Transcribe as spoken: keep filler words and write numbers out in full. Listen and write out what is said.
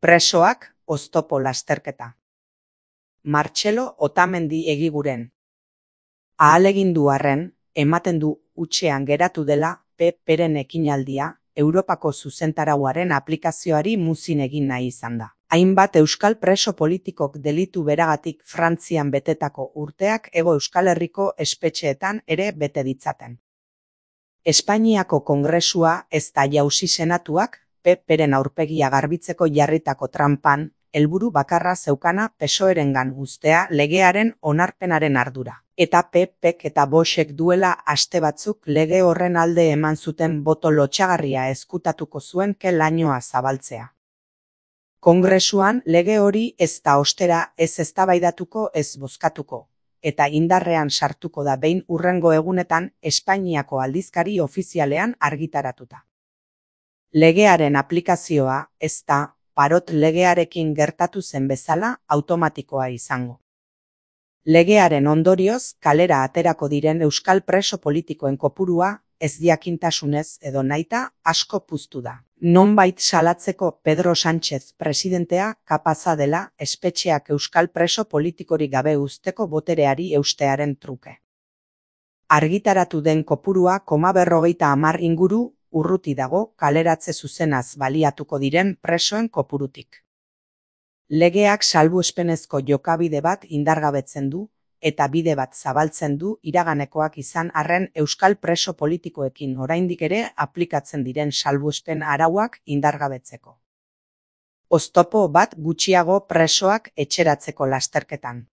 Presoak oztopo lasterketa. Martxelo Otamendi Egiguren. Ahalegindu arren, ematen du hutsean geratu dela P Pren ekinaldia Europako zuzentarauaren aplikazioari muzin egin nahi izan da. Hainbat euskal preso politikok delitu beragatik Frantzian betetako urteak Hego Euskal Herriko espetxeetan ere bete ditzaten. Espainiako Kongresua ez da jauzi senatuak P Pren aurpegia garbitzeko jarritako tranpan, helburu bakarra zeukana P S O Erengan uztea legearen onarpenaren ardura. Eta P Pek eta Voxek duela aste batzuk lege horren alde eman zuten boto lotsagarria ezkutatuko zuen ke lainoa zabaltzea. Kongresuan lege hori ez da ostera ez eztabaidatuko ez bozkatuko, eta indarrean sartuko da behin hurrengo egunetan Espainiako aldizkari ofizialean argitaratuta. Legearen aplikazioa ez da, parot legearekin gertatu zen bezala, automatikoa izango. Legearen ondorioz, kalera aterako diren euskal preso politikoen kopurua, ez jakintasunez edo nahita, asko puztu da. Nonbait salatzeko Pedro Sánchez presidentea kapaza dela espetxeak euskal preso politikorik gabe uzteko botereari eustearen truke. Argitaratu den kopurua koma berrogeita hamar inguru urruti dago kaleratze zuzenaz baliatuko diren presoen kopurutik. Legeak salbuespenezko jokabide bat indargabetzen du, eta bide bat zabaltzen du iraganekoak izan arren euskal preso politikoekin oraindik ere aplikatzen diren salbuespen arauak indargabetzeko. Oztopo bat gutxiago presoak etxeratzeko lasterketan.